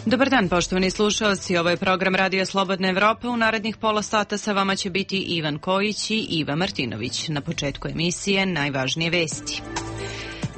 Dobar dan, poštovani slušalci. Ovo je program Radio Slobodna Evropa. U narednih pola sata sa vama će biti Ivan Kojić i Iva Martinović. Na početku emisije najvažnije vesti.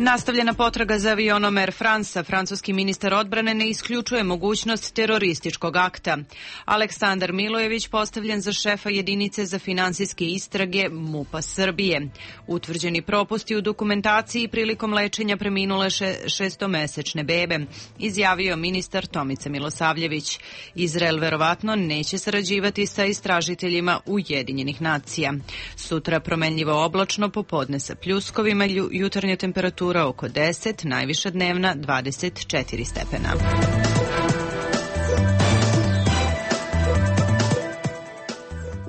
Nastavljena potraga za avionom Air France-a. Francuski ministar odbrane ne isključuje mogućnost terorističkog akta. Aleksandar Milojević postavljen za šefa jedinice za finansijske istrage MUP-a Srbije. Utvrđeni propusti u dokumentaciji prilikom lečenja preminule šestomesečne bebe, izjavio ministar Tomica Milosavljević. Izrael verovatno neće sarađivati sa istražiteljima Ujedinjenih nacija. Sutra promenljivo oblačno, popodne sa pljuskovima, jutarnja temperatura oko 10, najviša dnevna 24 stepena.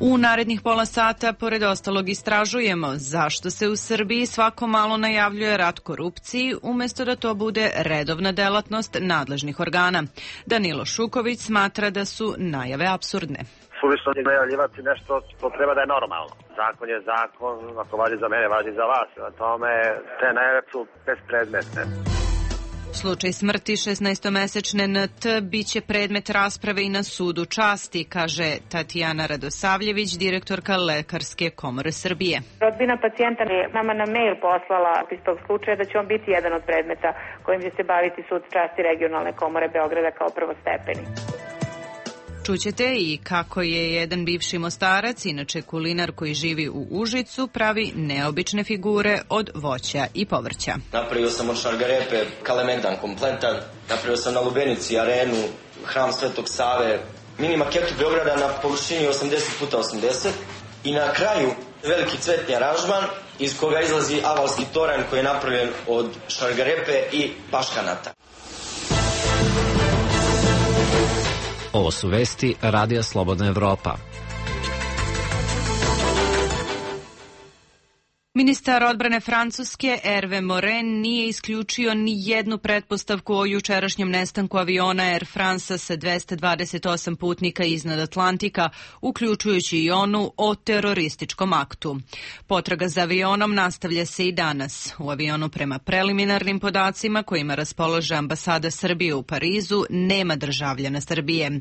U narednih pola sata, pored ostalog, istražujemo zašto se u Srbiji svako malo najavljuje rat korupciji, umesto da to bude redovna delatnost nadležnih organa. Danilo Šuković smatra da su najave apsurdne. Suvišno je najavljivati nešto što treba da je normalno. Zakon je zakon, ako važi za mene, važi za vas. Na tome te najave su bespredmetne. Slučaj smrti 16-mesečne NT biće predmet rasprave i na sudu časti, kaže Tatjana Radosavljević, direktorka Lekarske komore Srbije. Rodbina pacijenta je nama na mail poslala iz tog slučaja da će on biti jedan od predmeta kojim će se baviti sud časti regionalne komore Beograda kao prvostepeni. Čućete i kako je jedan bivši Mostarac, inače kulinar koji živi u Užicu, pravi neobične figure od voća i povrća. Napravio sam od šargarepe kalemegdan kompletan, napravio sam na Lubenici arenu, hram Svetog Save, mini maketu Beograda na površini 80x80 i na kraju veliki cvetni aranžman iz koga izlazi avalski toranj koji je napravljen od šargarepe i paškanata. Ovo su vesti Radija Slobodna Evropa. Ministar odbrane Francuske Hervé Morin nije isključio ni jednu pretpostavku o jučerašnjem nestanku aviona Air France-a sa 228 putnika iznad Atlantika, uključujući i onu o terorističkom aktu. Potraga za avionom nastavlja se i danas. U avionu, prema preliminarnim podacima kojima raspolaže ambasada Srbije u Parizu, nema državljana Srbije.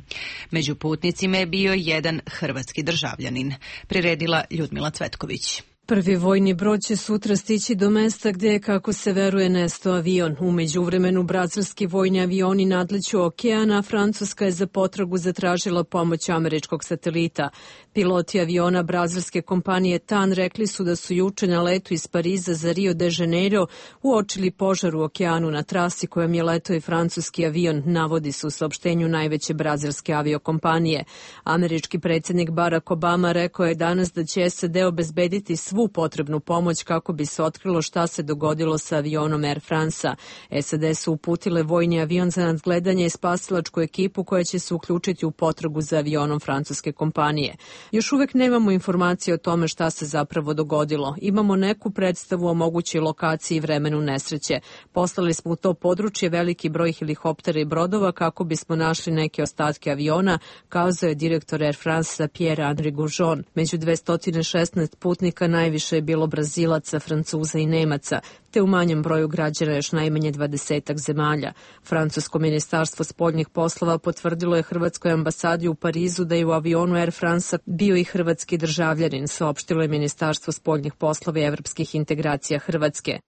Među putnicima je bio jedan hrvatski državljanin. Priredila Ljudmila Cvetković. Prvi vojni brod će sutra stići do mesta gde je, kako se veruje, nestao avion. U međuvremenu brazilski vojni avioni nadleću okeana, Francuska je za potragu zatražila pomoć američkog satelita. Piloti aviona brazilske kompanije TAN rekli su da su juče na letu iz Pariza za Rio de Janeiro uočili požar u okeanu na trasi kojom je letao i francuski avion, navodi se u saopštenju najveće brazilske aviokompanije. Američki predsjednik Barack Obama rekao je danas da će SAD obezbediti svu potrebnu pomoć kako bi se otkrilo šta se dogodilo sa avionom Air France-a. SAD su uputile vojni avion za nadgledanje i spasilačku ekipu koja će se uključiti u potragu za avionom francuske kompanije. Još uvek nemamo informacije o tome šta se zapravo dogodilo. Imamo neku predstavu o mogućoj lokaciji i vremenu nesreće. Poslali smo u to područje veliki broj helikoptera i brodova kako bismo našli neke ostatke aviona, kazao je direktor Air France Pierre-Henri Goujon. Među 216 putnika najviše je bilo Brazilaca, Francuza i Nemaca, te u manjem broju građana još najmanje 20 zemalja. Francusko ministarstvo spoljnih poslova potvrdilo je hrvatskoj ambasadi u Parizu da je u avionu Air France bio i hrvatski državljanin, saopštilo je Ministarstvo spoljnih poslova i evropskih integracija Hrvatske.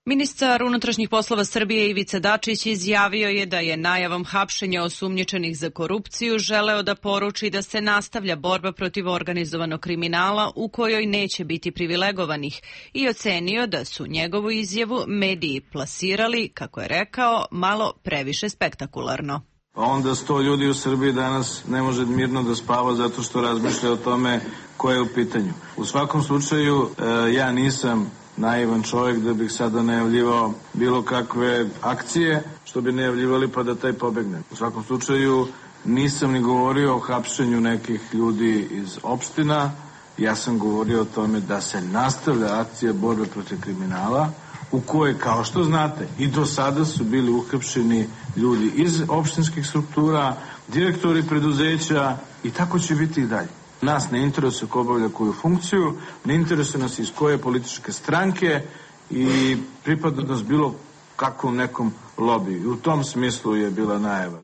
Ministar unutrašnjih poslova Srbije Ivica Dačić izjavio je da je najavom hapšenja osumnjičenih za korupciju želeo da poruči da se nastavlja borba protiv organizovanog kriminala u kojoj neće biti privilegovanih i ocenio da su njegovu izjavu mediji plasirali, kako je rekao, malo previše spektakularno. Onda 100 ljudi u Srbiji danas ne može mirno da spava zato što razmišlja o tome ko je u pitanju. U svakom slučaju ja nisam naivan čovjek da bih sada najavljivao bilo kakve akcije, što bi najavljivali pa da taj pobegne. U svakom slučaju nisam ni govorio o hapšenju nekih ljudi iz opština, ja sam govorio o tome da se nastavlja akcija borbe protiv kriminala, u kojoj, kao što znate, i do sada su bili uhapšeni ljudi iz opštinskih struktura, direktori preduzeća i tako će biti i dalje. Nas ne interesuje ko obavlja koju funkciju, ne interesuje nas iz koje političke stranke i pripadnost bilo kakvom nekom lobiju. U tom smislu je bila najava.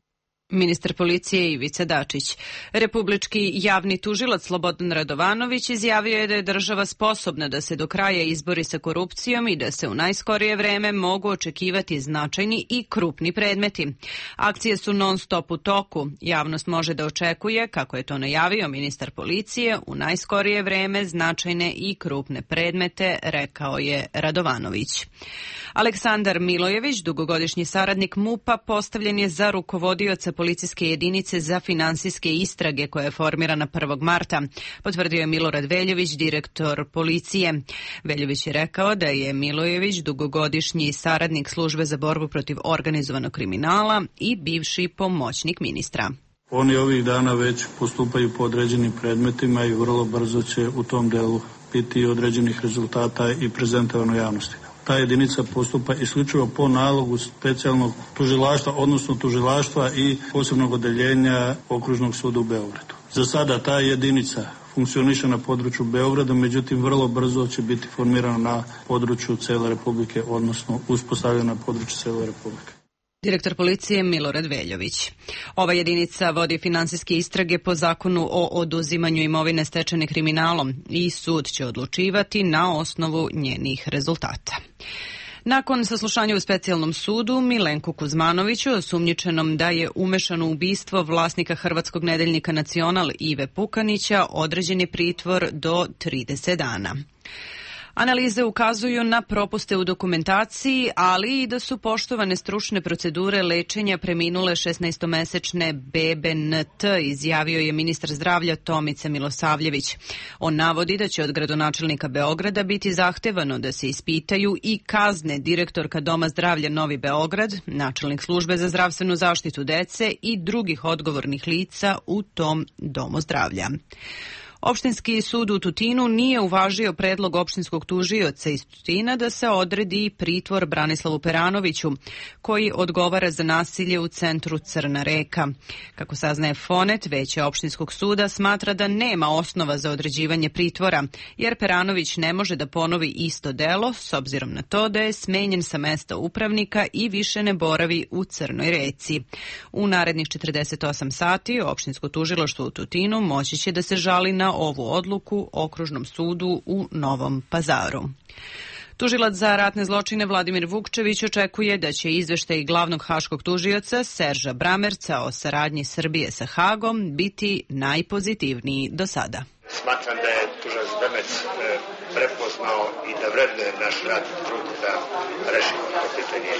Ministar policije Ivica Dačić. Republički javni tužilac Slobodan Radovanović izjavio je da je država sposobna da se do kraja izbori sa korupcijom i da se u najskorije vreme mogu očekivati značajni i krupni predmeti. Akcije su non stop u toku. Javnost može da očekuje, kako je to najavio ministar policije, u najskorije vreme značajne i krupne predmete, rekao je Radovanović. Aleksandar Milojević, dugogodišnji saradnik MUP-a, postavljen je za rukovodioca policijske jedinice za finansijske istrage koja je formirana 1. marta, potvrdio je Milorad Veljović, direktor policije. Veljović je rekao da je Milojević dugogodišnji saradnik službe za borbu protiv organizovanog kriminala i bivši pomoćnik ministra. Oni ovih dana već postupaju po određenim predmetima i vrlo brzo će u tom delu biti određenih rezultata i prezentovano javnosti. Ta jedinica postupa isključivo po nalogu specijalnog tužilaštva, odnosno tužilaštva i posebnog odeljenja Okružnog suda u Beogradu. Za sada ta jedinica funkcioniše na području Beograda, međutim vrlo brzo će biti formirana na području cele Republike, odnosno uspostavljena na području cele Republike. Direktor policije Milorad Veljović. Ova jedinica vodi finansijske istrage po zakonu o oduzimanju imovine stečene kriminalom i sud će odlučivati na osnovu njenih rezultata. Nakon saslušanja u specijalnom sudu, Milenku Kuzmanoviću, osumnjičenom da je umešan u ubistvo vlasnika hrvatskog nedeljnika Nacional Ive Pukanića, određen je pritvor do 30 dana. Analize ukazuju na propuste u dokumentaciji, ali i da su poštovane stručne procedure lečenja preminule 16-mesečne bebe NT, izjavio je ministar zdravlja Tomica Milosavljević. On navodi da će od gradonačelnika Beograda biti zahtevano da se ispitaju i kazne direktorka Doma zdravlja Novi Beograd, načelnik službe za zdravstvenu zaštitu dece i drugih odgovornih lica u tom domu zdravlja. Opštinski sud u Tutinu nije uvažio predlog opštinskog tužioca iz Tutina da se odredi pritvor Branislavu Peranoviću, koji odgovara za nasilje u centru Crna Reka. Kako saznaje Fonet, veće opštinskog suda smatra da nema osnova za određivanje pritvora, jer Peranović ne može da ponovi isto delo, s obzirom na to da je smenjen sa mesta upravnika i više ne boravi u Crnoj Reci. U narednih 48 sati opštinsko tužilaštvo u Tutinu moći će da se žali na ovu odluku Okružnom sudu u Novom Pazaru. Tužilac za ratne zločine Vladimir Vukčević očekuje da će izveštaj glavnog haškog tužioca Serža Bramerca o saradnji Srbije sa Hagom biti najpozitivniji do sada. Smatram da je tužilac Bramerc prepoznao i da vrednuje naš rad i trud da rešimo to pitanje.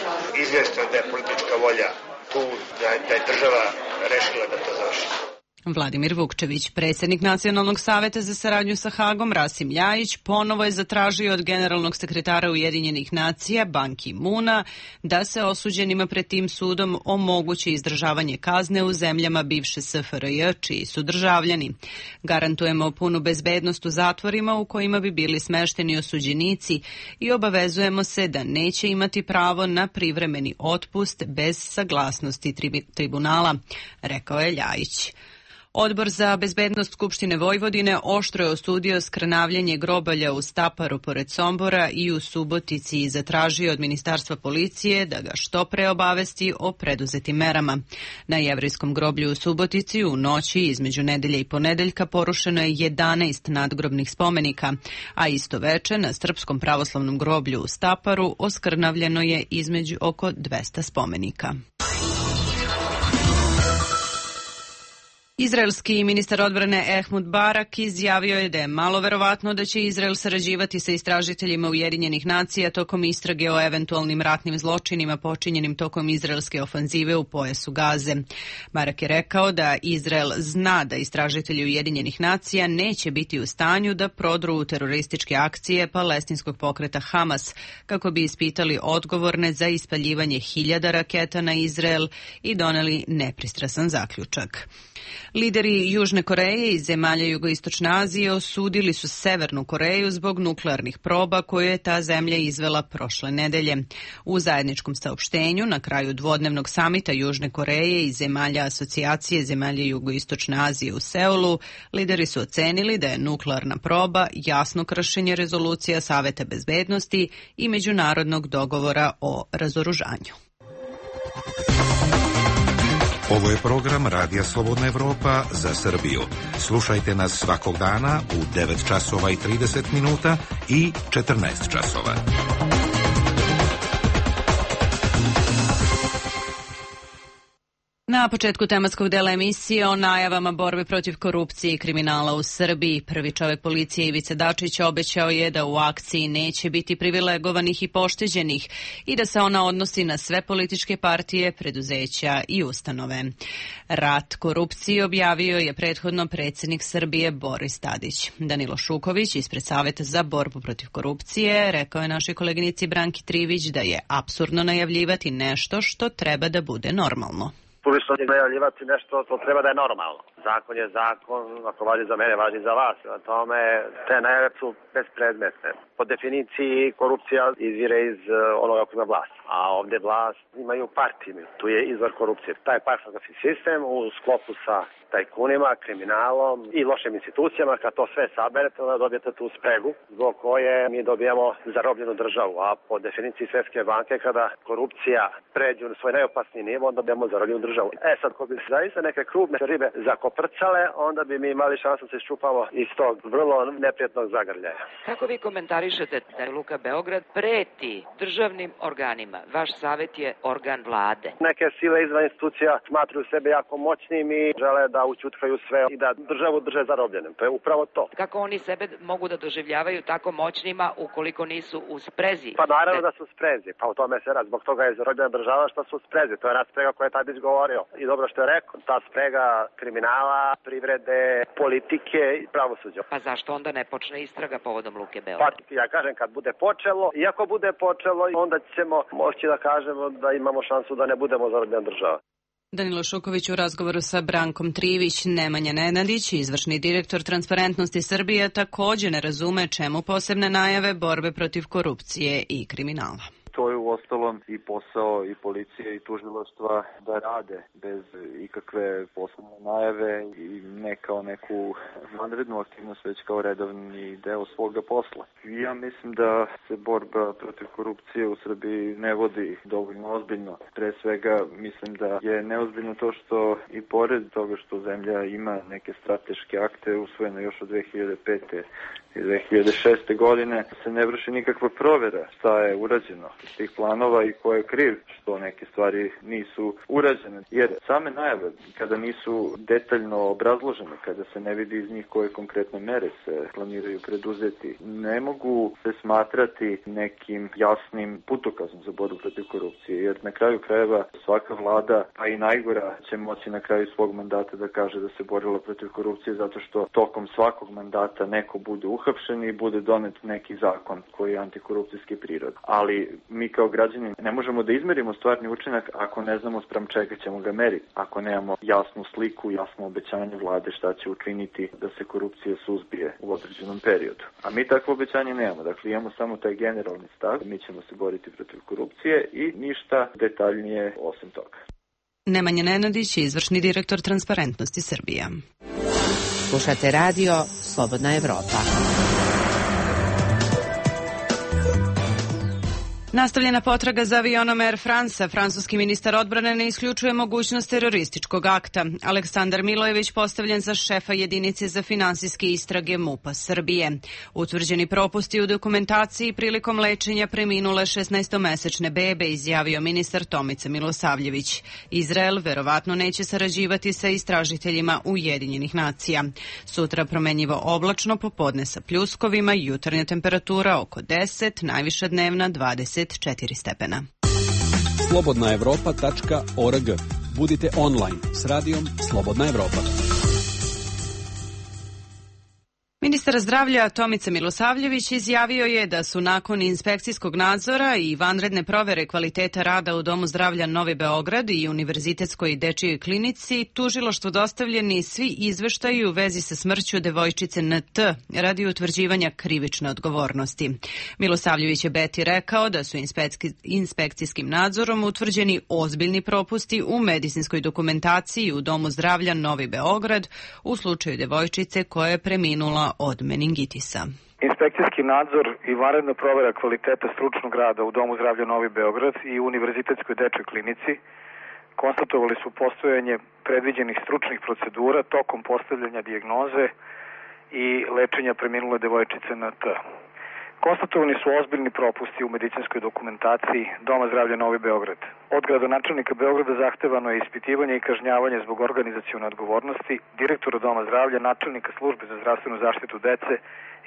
Izvjesno da je politička volja tu, da je država rešila da to završi. Vladimir Vukčević, predsjednik Nacionalnog saveta za saradnju sa Hagom, Rasim Ljajić, ponovo je zatražio od generalnog sekretara Ujedinjenih nacija, Ban Ki-muna, da se osuđenima pred tim sudom omogući izdržavanje kazne u zemljama bivše SFRJ, čiji su državljani. Garantujemo punu bezbednost u zatvorima u kojima bi bili smešteni osuđenici i obavezujemo se da neće imati pravo na privremeni otpust bez saglasnosti tribunala, rekao je Ljajić. Odbor za bezbednost Skupštine Vojvodine oštro je osudio skrnavljanje grobalja u Staparu pored Sombora i u Subotici i zatražio od Ministarstva policije da ga što pre obavesti o preduzetim merama. Na Jevrejskom groblju u Subotici u noći između nedelje i ponedeljka porušeno je 11 nadgrobnih spomenika, a isto veče na Srpskom pravoslavnom groblju u Staparu oskrnavljeno je između oko 200 spomenika. Izraelski ministar odbrane Ehud Barak izjavio je da je malo verovatno da će Izrael sarađivati sa istražiteljima Ujedinjenih nacija tokom istrage o eventualnim ratnim zločinima počinjenim tokom izraelske ofanzive u pojasu Gaze. Barak je rekao da Izrael zna da istražitelji Ujedinjenih nacija neće biti u stanju da prodru u terorističke akcije palestinskog pokreta Hamas kako bi ispitali odgovorne za ispaljivanje 1000 raketa na Izrael i doneli nepristrasan zaključak. Lideri Južne Koreje i zemalja Jugoistočne Azije osudili su Severnu Koreju zbog nuklearnih proba koje je ta zemlja izvela prošle nedelje. U zajedničkom saopštenju na kraju dvodnevnog samita Južne Koreje i zemalja Asocijacije zemalja Jugoistočne Azije u Seulu, lideri su ocenili da je nuklearna proba jasno kršenje rezolucija Saveta bezbednosti i međunarodnog dogovora o razoružanju. Ovo je program Radija Slobodna Evropa za Srbiju. Slušajte nas svakog dana u 9 časova i 30 minuta i 14 časova. Na početku tematskog dela emisije o najavama borbe protiv korupcije i kriminala u Srbiji. Prvi čovek policije Ivica Dačić obećao je da u akciji neće biti privilegovanih i pošteđenih i da se ona odnosi na sve političke partije, preduzeća i ustanove. Rat korupciji objavio je prethodno predsjednik Srbije Boris Tadić. Danilo Šuković ispred Saveta za borbu protiv korupcije rekao je našoj koleginici Branki Trivić da je apsurdno najavljivati nešto što treba da bude normalno. Suvišno je najavljivati nešto što treba da je normalno. Zakon je zakon, ako važi za mene, važi za vas. Na tome te najave su bespredmetne. Po definiciji korupcija izvire iz onoga koji ima vlast. A ovdje vlast imaju partiju. Tu je izvor korupcije. Taj partijski sistem u sklopu sa tajkunima, kriminalom i lošim institucijama, kad to sve saberete, onda dobijete tu spregu zbog koje mi dobijamo zarobljenu državu. A po definiciji Svjetske banke, kada korupcija pređe u svoj najopasniji nivo, onda dobijamo zarobljenu državu. Sad, ko bi zaista neke krupne ribe zakoprcale, onda bi mi imali šansu da se iščupamo iz tog vrlo neprijatnog zagrljaja. Kako vi komentarišete da Luka Beograd preti državnim organima? Vaš savjet je organ vlade. Neke sile izvan institucija smatruju sebe jako moćnim i žele da učutkaju sve i da državu drže zarobljenim. To je upravo to. Kako oni sebe mogu da doživljavaju tako moćnima ukoliko nisu u sprezi? Pa naravno da su u sprezi. Pa u tome se radi. Zbog toga je zarobljena država što su u sprezi. To je ona sprega koja je Tadić govorio. I dobro što je rekao. Ta sprega kriminala, privrede, politike i pravosuđa. Pa zašto onda ne počne istraga povodom Luke Beograd? Pa ja kažem kad bude počelo. I ako bude počelo, onda ćemo moći da kažemo da imamo šansu da ne budemo zarobljena država. Danilo Šuković u razgovoru sa Brankom Trivić. Nemanja Nenadić, izvršni direktor Transparentnosti Srbije, također ne razume čemu posebne najave borbe protiv korupcije i kriminala. To je uostalom i posao i policije i tužilaštva da rade bez ikakve posebne najave i ne kao neku vanrednu aktivnost, već kao redovni deo svoga posla. Ja mislim da se borba protiv korupcije u Srbiji ne vodi dovoljno ozbiljno. Pre svega mislim da je neozbiljno to što i pored toga što zemlja ima neke strateške akte usvojene još od 2005. i 2006. godine se ne vrši nikakva provjera šta je urađeno iz tih planova i ko je kriv što neke stvari nisu urađene. Jer same najave, kada nisu detaljno obrazložene, kada se ne vidi iz njih koje konkretne mere se planiraju preduzeti, ne mogu se smatrati nekim jasnim putokazom za borbu protiv korupcije. Jer na kraju krajeva svaka vlada, pa i najgora, će moći na kraju svog mandata da kaže da se borila protiv korupcije zato što tokom svakog mandata neko bude uhapšen i bude donet neki zakon koji je antikorupcijski prirod. Ali mi kao građani ne možemo da izmerimo stvarni učinak ako ne znamo spram čega ćemo ga meriti. Ako nemamo jasnu sliku, jasno obećanje vlade šta će učiniti da se korupcija suzbije u određenom periodu. A mi takvo obećanje nemamo. Dakle, imamo samo taj generalni stav. Mi ćemo se boriti protiv korupcije i ništa detaljnije osim toga. Nemanja Nenadić, izvršni direktor Transparentnosti Srbije. Slušate radio Slobodna Evropa. Nastavljena potraga za avionom Air France, francuski ministar odbrane ne isključuje mogućnost terorističkog akta. Aleksandar Milojević postavljen za šefa jedinice za finansijske istrage MUP-a Srbije. Utvrđeni propusti u dokumentaciji prilikom lečenja preminule 16-mesečne bebe, izjavio ministar Tomica Milosavljević. Izrael verovatno neće sarađivati sa istražiteljima Ujedinjenih nacija. Sutra promenjivo oblačno, popodne sa pljuskovima, jutarnja temperatura oko 10, najviša dnevna 24 stepena. slobodnaevropa.org. Budite online s radijom Slobodna Evropa. Ministar zdravlja Tomica Milosavljević izjavio je da su nakon inspekcijskog nadzora i vanredne provere kvaliteta rada u Domu zdravlja Novi Beograd i Univerzitetskoj dečijoj klinici tužilaštvu dostavljeni svi izveštaji u vezi sa smrću devojčice NT radi utvrđivanja krivične odgovornosti. Milosavljević je Beti rekao da su inspekcijskim nadzorom utvrđeni ozbiljni propusti u medicinskoj dokumentaciji u Domu zdravlja Novi Beograd u slučaju devojčice koja je preminula od meningitisa. Inspekcijski nadzor i vanredna provera kvaliteta stručnog rada u Domu zdravlja Novi Beograd i Univerzitetskoj dečjoj klinici konstatovali su postojanje predviđenih stručnih procedura tokom postavljanja dijagnoze i lečenja preminule devojčice NT. Konstatovani su ozbiljni propusti u medicinskoj dokumentaciji Doma zdravlja Novi Beograd. Od gradonačelnika Beograda zahtevano je ispitivanje i kažnjavanje zbog organizacione odgovornosti, direktora Doma zdravlja, načelnika službe za zdravstvenu zaštitu dece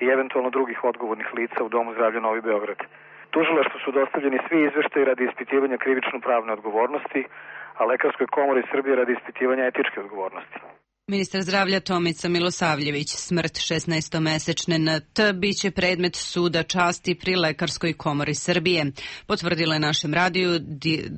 i eventualno drugih odgovornih lica u Domu zdravlja Novi Beograd. Tužilaštvu su dostavljeni svi izveštaji radi ispitivanja krivično-pravne odgovornosti, a Lekarskoj komori Srbije radi ispitivanja etičke odgovornosti. Ministar zdravlja Tomica Milosavljević, smrt 16-mesečne NT biće predmet suda časti pri Lekarskoj komori Srbije. Potvrdila je našem radiju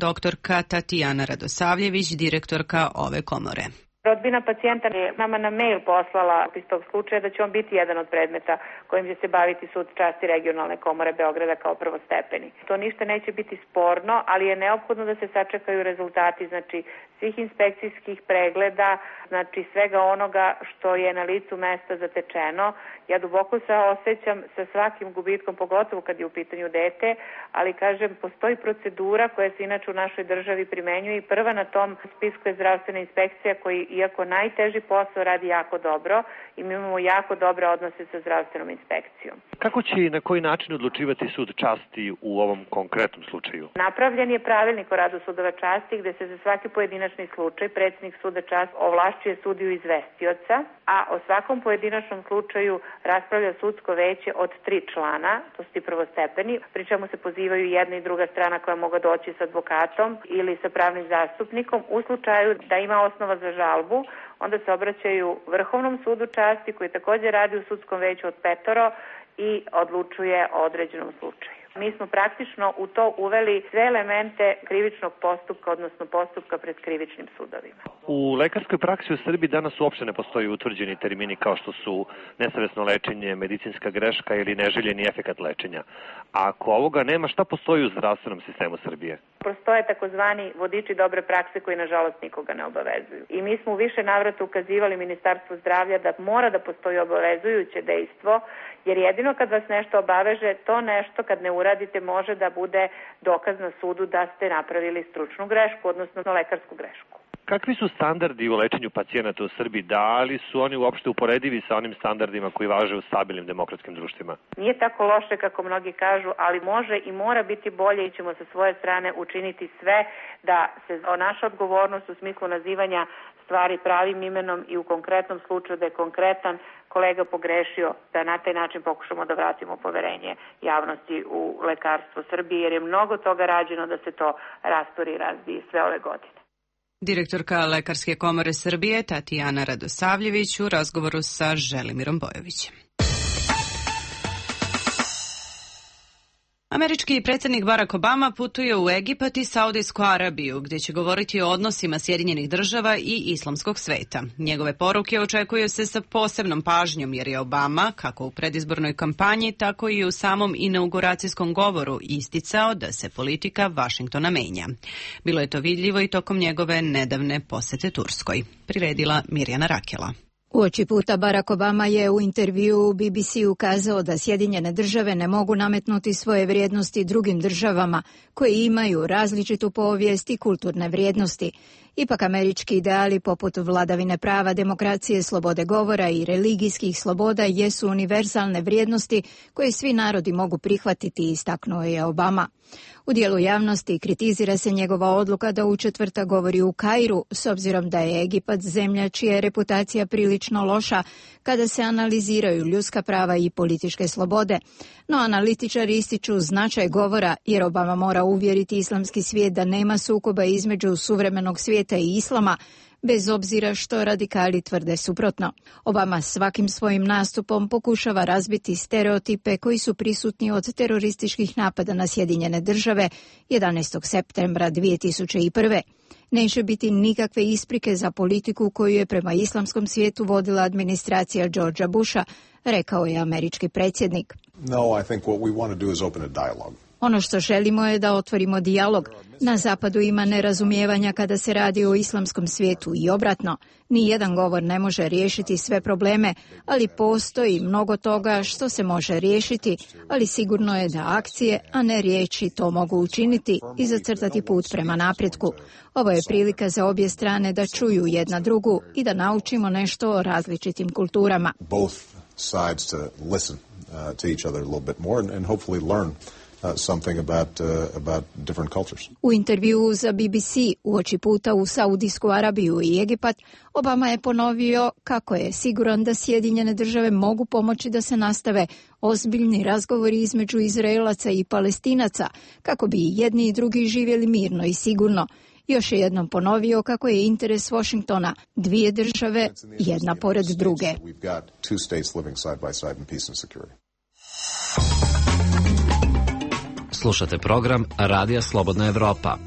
doktorka Tatjana Radosavljević, direktorka ove komore. Rodbina pacijenta je nama na mail poslala iz tog slučaja da će on biti jedan od predmeta kojim će se baviti sud časti regionalne komore Beograda kao prvostepeni. To ništa neće biti sporno, ali je neophodno da se sačekaju rezultati, znači svih inspekcijskih pregleda, znači svega onoga što je na licu mesta zatečeno. Ja duboko se osjećam sa svakim gubitkom, pogotovo kad je u pitanju dete, ali kažem, postoji procedura koja se inače u našoj državi primenjuje i prva na tom spisku je zdravstvena inspekcija koji, iako najteži posao, radi jako dobro i mi imamo jako dobre odnose sa zdravstvenom inspekcijom. Kako će i na koji način odlučivati sud časti u ovom konkretnom slučaju? Napravljen je pravilnik o radu sudova časti gde se za svaki pojedinačni slučaj predsjednik suda časti ovlašćuje sudiju izvestioca, a o svakom pojedinačnom slučaju raspravlja sudsko veće od 3 člana, to su ti prvostepeni, pri čemu se pozivaju jedna i druga strana koja mogu doći s advokatom ili sa pravnim zastupnikom. U slučaju da ima osnova za žalbu, onda se obraćaju Vrhovnom sudu časti koji također radi u sudskom veću od 5 i odlučuje o određenom slučaju. Mi smo praktično u to uveli sve elemente krivičnog postupka, odnosno postupka pred krivičnim sudovima. U lekarskoj praksi u Srbiji danas uopšte ne postoji utvrđeni termini kao što su nesavesno lečenje, medicinska greška ili neželjeni efekat lečenja. A ako ovoga nema, šta postoji u zdravstvenom sistemu Srbije? Postoje takozvani vodiči dobre prakse koji nažalost nikoga ne obavezuju. I mi smo u više navrata ukazivali Ministarstvu zdravlja da mora da postoji obavezujuće dejstvo, jer jedino kad vas nešto obaveže, to nešto kad ne uradite može da bude dokaz na sudu da ste napravili stručnu grešku, odnosno lekarsku grešku. Kakvi su standardi u lečenju pacijenata u Srbiji? Da li su oni uopšte uporedivi sa onim standardima koji važe u stabilnim demokratskim društvima? Nije tako loše kako mnogi kažu, ali može i mora biti bolje i ćemo sa svoje strane učiniti sve da se naša odgovornost u smislu nazivanja stvari pravim imenom i u konkretnom slučaju da je konkretan kolega pogrešio, da na taj način pokušamo da vratimo poverenje javnosti u lekarstvo Srbije, jer je mnogo toga rađeno da se to rasturi i razbije sve ove godine. Direktorka Lekarske komore Srbije Tatjana Radosavljević u razgovoru sa Želimirom Bojovićem. Američki predsjednik Barack Obama putuje u Egipat i Saudijsku Arabiju, gdje će govoriti o odnosima Sjedinjenih država i islamskog sveta. Njegove poruke očekuju se sa posebnom pažnjom, jer je Obama, kako u predizbornoj kampanji, tako i u samom inauguracijskom govoru isticao da se politika Vašingtona menja. Bilo je to vidljivo i tokom njegove nedavne posete Turskoj. Priredila Mirjana Rakela. Uoči puta Barack Obama je u intervjuu BBC ukazao da Sjedinjene države ne mogu nametnuti svoje vrijednosti drugim državama koje imaju različitu povijest i kulturne vrijednosti. Ipak američki ideali poput vladavine prava, demokracije, slobode govora i religijskih sloboda jesu univerzalne vrijednosti koje svi narodi mogu prihvatiti, istaknuo je Obama. U dijelu javnosti kritizira se njegova odluka da u četvrtak govori u Kairu, s obzirom da je Egipat zemlja čija je reputacija prilično loša kada se analiziraju ljudska prava i političke slobode. No analitičari ističu značaj govora jer Obama mora uvjeriti islamski svijet da nema sukoba između suvremenog svijeta i islama, bez obzira što radikali tvrde suprotno. Obama svakim svojim nastupom pokušava razbiti stereotipe koji su prisutni od terorističkih napada na Sjedinjene države 11. septembra 2001. Neće biti nikakve isprike za politiku koju je prema islamskom svijetu vodila administracija Georgea Busha, rekao je američki predsjednik. No, I think what we want to do is open a dialogue. Ono što želimo je da otvorimo dijalog. Na zapadu ima nerazumijevanja kada se radi o islamskom svijetu i obratno. Nijedan govor ne može riješiti sve probleme, ali postoji mnogo toga što se može riješiti, ali sigurno je da akcije, a ne riječi, to mogu učiniti i zacrtati put prema napretku. Ovo je prilika za obje strane da čuju jedna drugu i da naučimo nešto o različitim kulturama. Both sides to listen to each other a little bit more and hopefully learn something about different cultures. U intervjuu za BBC uoči puta u Saudijsku Arabiju i Egipat, Obama je ponovio kako je siguran da Sjedinjene države mogu pomoći da se nastave ozbiljni razgovori između Izraelaca i Palestinaca, kako bi jedni i drugi živjeli mirno i sigurno. Još je jednom ponovio kako je interes Washingtona dvije države, jedna pored druge. Slušate program Radija Slobodna Evropa.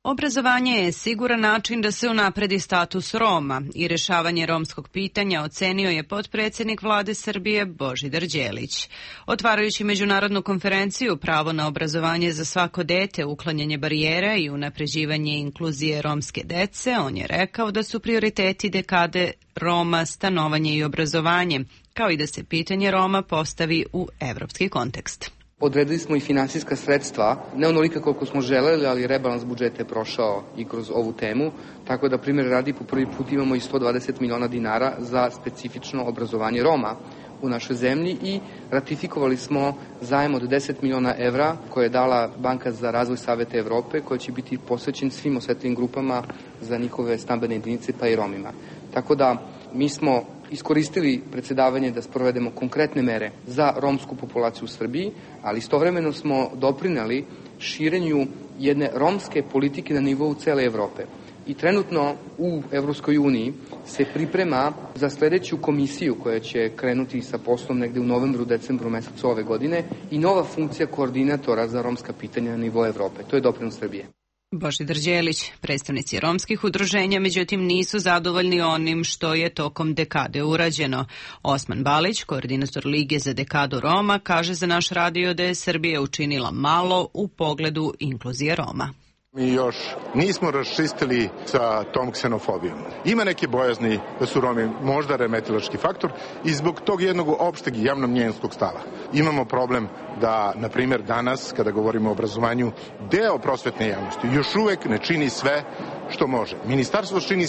Obrazovanje je siguran način da se unapredi status Roma i rješavanje romskog pitanja ocenio je potpredsjednik vlade Srbije Božidar Đelić. Otvarajući međunarodnu konferenciju Pravo na obrazovanje za svako dete, uklanjanje barijera i unapređivanje inkluzije romske dece, on je rekao da su prioriteti dekade Roma stanovanje i obrazovanje, kao i da se pitanje Roma postavi u evropski kontekst. Odredili smo i finansijska sredstva, ne onolika koliko smo želeli, ali rebalans budžeta je prošao i kroz ovu temu, tako da primjer radi po prvi put imamo i 120 miliona dinara za specifično obrazovanje Roma u našoj zemlji i ratifikovali smo zajam od 10 miliona evra koje je dala Banka za razvoj Saveta Evrope, koja će biti posvećen svim osetljivim grupama za njihove stambene jedinice pa i Romima. Tako da mi smo iskoristili predsjedavanje da sprovedemo konkretne mere za romsku populaciju u Srbiji, ali istovremeno smo doprineli širenju jedne romske politike na nivou cele Evrope. I trenutno u Evropskoj uniji se priprema za sljedeću komisiju koja će krenuti sa poslom negde u novembru, decembru mesecu ove godine i nova funkcija koordinatora za romska pitanja na nivou Evrope. To je doprinos Srbije. Božidar Đelić, predstavnici romskih udruženja, međutim nisu zadovoljni onim što je tokom dekade urađeno. Osman Balić, koordinator Lige za dekadu Roma, kaže za naš radio da je Srbija učinila malo u pogledu inkluzije Roma. Mi još nismo raščistili sa tom ksenofobijom. Ima neke bojazni da su Romi možda remetilački faktor i zbog tog jednog opšteg i javnomnjenskog stava. Imamo problem da, na primjer, danas, kada govorimo o obrazovanju, deo prosvetne javnosti još uvek ne čini sve što može. Ministarstvo čini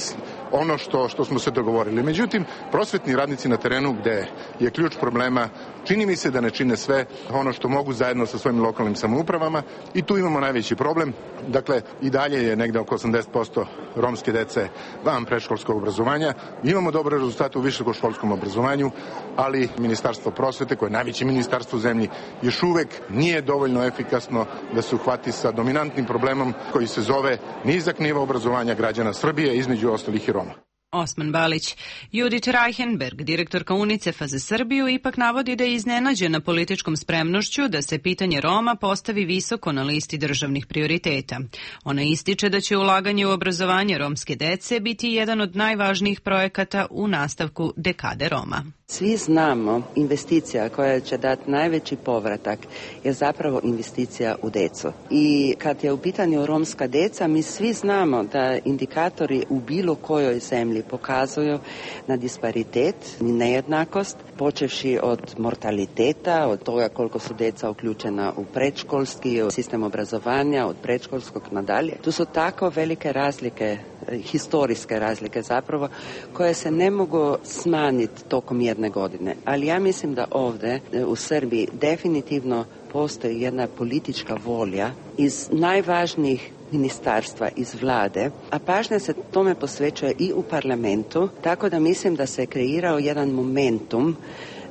ono što smo se dogovorili. Međutim, prosvetni radnici na terenu, gde je ključ problema, čini mi se da ne čine sve ono što mogu zajedno sa svojim lokalnim samoupravama i tu imamo najveći problem. Dakle, i dalje je negde oko 80% romske dece van predškolskog obrazovanja. Imamo dobre rezultate u visokoškolskom obrazovanju, ali Ministarstvo prosvete, koje je najveće ministarstvo u zemlji, još uvek nije dovoljno efikasno da se uhvati sa dominantnim problemom koji se zove nizak nivo obrazovanja građana Srbije, između ostalih i Roma. Osman Balić. Judith Reichenberg, direktorka UNICEF-a za Srbiju, ipak navodi da je iznenađena političkom spremnošću da se pitanje Roma postavi visoko na listi državnih prioriteta. Ona ističe da će ulaganje u obrazovanje romske dece biti jedan od najvažnijih projekata u nastavku dekade Roma. Svi znamo, investicija koja će dati najveći povratak je zapravo investicija u decu. I kad je u pitanju romska deca, mi svi znamo da indikatori u bilo kojoj zemlji pokazuju na disparitet i nejednakost, počevši od mortaliteta, od toga koliko su deca uključena u predškolski sistem obrazovanja, od predškolskog nadalje. Tu su tako velike razlike, historijske razlike zapravo, koje se ne mogu smanjiti tokom jedne godine. Ali ja mislim da ovdje u Srbiji definitivno postoji jedna politička volja iz najvažnijih ministarstva, iz vlade, a pažnja se tome posvećuje i u parlamentu, tako da mislim da se kreirao jedan momentum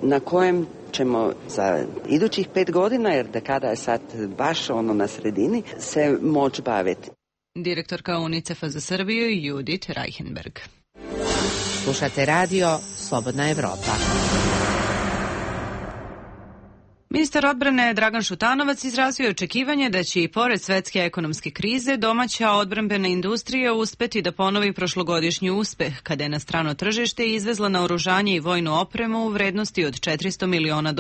na kojem ćemo za idućih 5 godina, jer dekada je sad baš na sredini, se moći baviti. Direktorka UNICEF-a za Srbiju Judith Reichenberg. Slušate radio Slobodna Evropa. Ministar odbrane Dragan Šutanovac izrazio je očekivanje da će i pored svetske ekonomske krize domaća odbrambena industrija uspeti da ponovi prošlogodišnji uspeh kada je na strano tržište izvezla naoružanje i vojnu opremu u vrednosti od $400 miliona,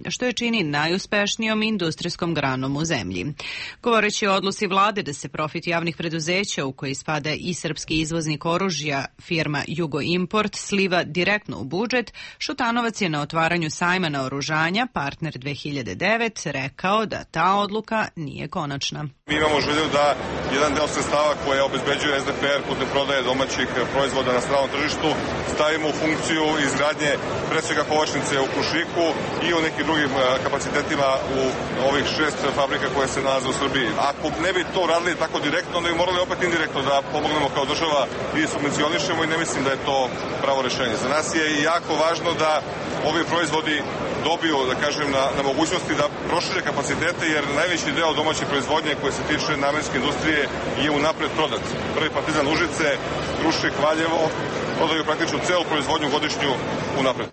što je čini najuspešnijom industrijskom granom u zemlji. Govoreći o odluci vlade da se profit javnih preduzeća u koji spada i srpski izvoznik oružja firma Jugo Import sliva direktno u budžet, Šutanovac je na otvaranju sajma naoružanja Partner 2009 rekao da ta odluka nije konačna. Mi imamo želju da jedan deo sredstava koje obezbeđuje SDPR putem prodaje domaćih proizvoda na stranom tržištu stavimo u funkciju izgradnje pre svega kovačnice u Krušiku i u nekim drugim kapacitetima u ovih 6 fabrika koje se nalaze u Srbiji. Ako ne bi to radili tako direktno, onda bi morali opet indirektno da pomognemo kao država i subvencionišemo i ne mislim da je to pravo rešenje. Za nas je jako važno da ovi proizvodi dobiju, da kažem, na mogućnosti da prošire kapacitete, jer najveći deo domaće proizvodnje koje se tiče namenske industrije je unapred prodat. Prvi Partizan Užice, Krušik, Valjevo prodaju praktično celu proizvodnju godišnju unapred.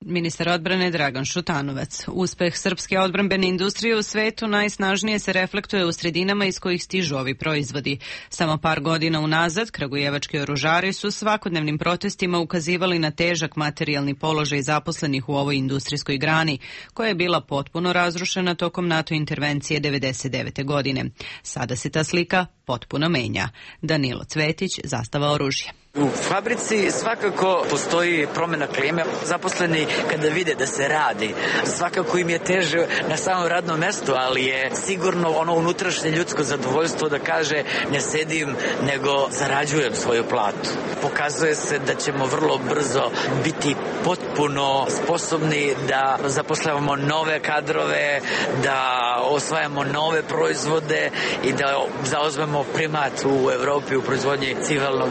Ministar odbrane Dragan Šutanovac. Uspeh srpske odbrambene industrije u svetu najsnažnije se reflektuje u sredinama iz kojih stižu ovi proizvodi. Samo par godina unazad kragujevački oružari su svakodnevnim protestima ukazivali na težak materijalni položaj zaposlenih u ovoj industrijskoj grani, koja je bila potpuno razrušena tokom NATO intervencije 1999. godine. Sada se ta slika potpuno menja. Danilo Cvetić, Zastava oružja. U fabrici svakako postoji promjena klime. Zaposleni kada vide da se radi, svakako im je teže na samom radnom mestu, ali je sigurno ono unutrašnje ljudsko zadovoljstvo da kaže ne sedim, nego zarađujem svoju platu. Pokazuje se da ćemo vrlo brzo biti potpuno sposobni da zapošljavamo nove kadrove, da osvajamo nove proizvode i da zauzmemo primat u Evropi u proizvodnji civilnog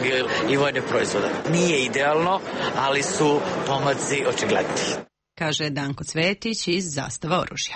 i vojnog proizvoda. Nije idealno, ali su pomaci očigledni. Kaže Danko Cvetić iz Zastava oružja.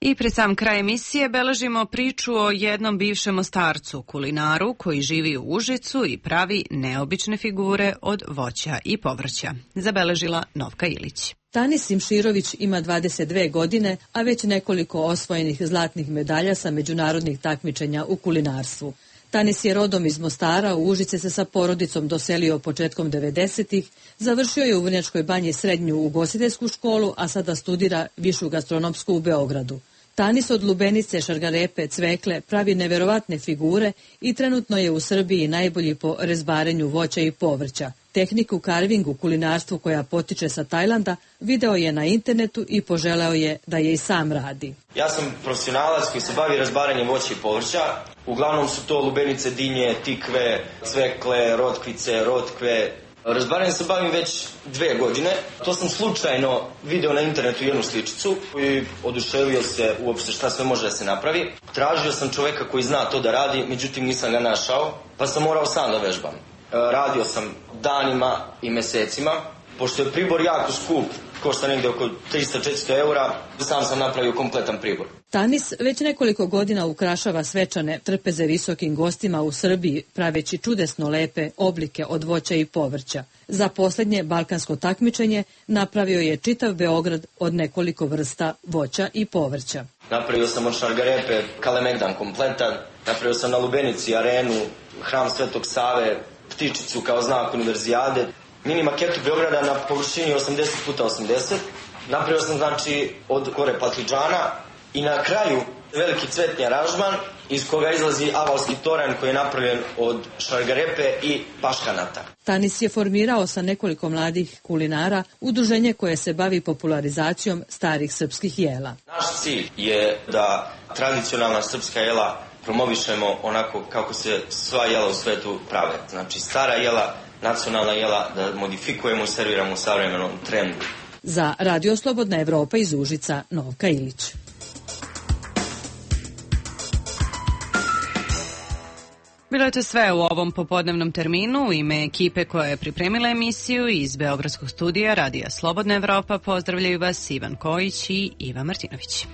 I pred sam kraj emisije beležimo priču o jednom bivšem Mostarcu, kulinaru koji živi u Užicu i pravi neobične figure od voća i povrća. Zabeležila Novka Ilić. Tanis Simširović ima 22 godine, a već nekoliko osvojenih zlatnih medalja sa međunarodnih takmičenja u kulinarstvu. Tanis je rodom iz Mostara, u Užice se sa porodicom doselio početkom 90-ih, završio je u Vrnjačkoj Banji srednju ugostiteljsku školu, a sada studira višu gastronomsku u Beogradu. Tanis od lubenice, šargarepe, cvekle pravi neverovatne figure i trenutno je u Srbiji najbolji po rezbarenju voća i povrća. Tehniku karvingu kulinarstvu koja potiče sa Tajlanda video je na internetu i poželeo je da je i sam radi. Ja sam profesionalac koji se bavi razbaranjem voća i povrća. Uglavnom su to lubenice, dinje, tikve, cvekle, rotkve. Razbaranjem se bavim već 2 godine. To sam slučajno video na internetu jednu sličicu i oduševio se uopšte šta sve može da se napravi. Tražio sam čoveka koji zna to da radi, međutim nisam ga našao, pa sam morao sam da vežbam. Radio sam danima i mesecima. Pošto je pribor jako skup, košta negde oko 300-400 eura, sam napravio kompletan pribor. Tanis već nekoliko godina ukrašava svečane trpeze visokim gostima u Srbiji, praveći čudesno lepe oblike od voća i povrća. Za posljednje balkansko takmičenje napravio je čitav Beograd od nekoliko vrsta voća i povrća. Napravio sam od šargarepe Kalemegdan kompletan, napravio sam na lubenici arenu, hram Svetog Save, ptičicu kao znak univerzijade, mini maketu Beograda na površini 80x80. Napravio sam znači od kore patliđana i na kraju veliki cvetni aranžman iz koga izlazi avalski toranj koji je napravljen od šargarepe i paškanata. Tanis je formirao sa nekoliko mladih kulinara udruženje koje se bavi popularizacijom starih srpskih jela. Naš cilj je da tradicionalna srpska jela promovišemo onako kako se sva jela u svetu prave. Znači stara jela, nacionalna jela, da modifikujemo i serviramo u savremenom trendu. Za Radio Slobodna Evropa iz Užica, Novka Ilić. Bilo je to sve u ovom popodnevnom terminu. U ime ekipe koja je pripremila emisiju iz Beogradskog studija Radija Slobodna Evropa pozdravljaju vas Ivan Kojić i Iva Martinović.